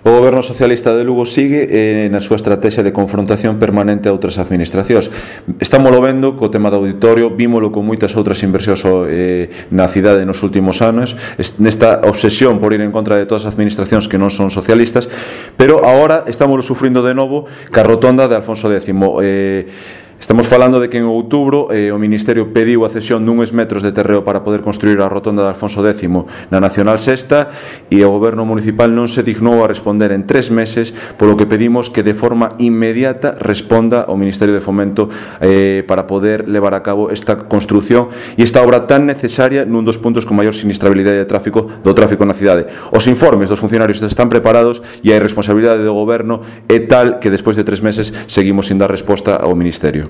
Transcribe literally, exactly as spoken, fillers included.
O Goberno Socialista de Lugo sigue eh, na súa estrategia de confrontación permanente a outras administracións. Estámoslo vendo co tema do auditorio, vímolo con moitas outras inversións eh, na cidade nos últimos anos, nesta obsesión por ir en contra de todas as administracións que non son socialistas, pero agora estámoslo sufrindo de novo ca rotonda de Alfonso X. Eh, Estamos falando de que en outubro eh, o Ministerio pediu a cesión duns metros de terreo para poder construir a rotonda de Alfonso X na Nacional Sexta e o Goberno Municipal non se dignou a responder en tres meses, polo que pedimos que de forma inmediata responda o Ministerio de Fomento eh, para poder levar a cabo esta construción e esta obra tan necesaria nun dos puntos con maior sinistrabilidade de tráfico do tráfico na cidade. Os informes dos funcionarios están preparados e a irresponsabilidade do Goberno é tal que despois de tres meses seguimos sin dar resposta ao Ministerio.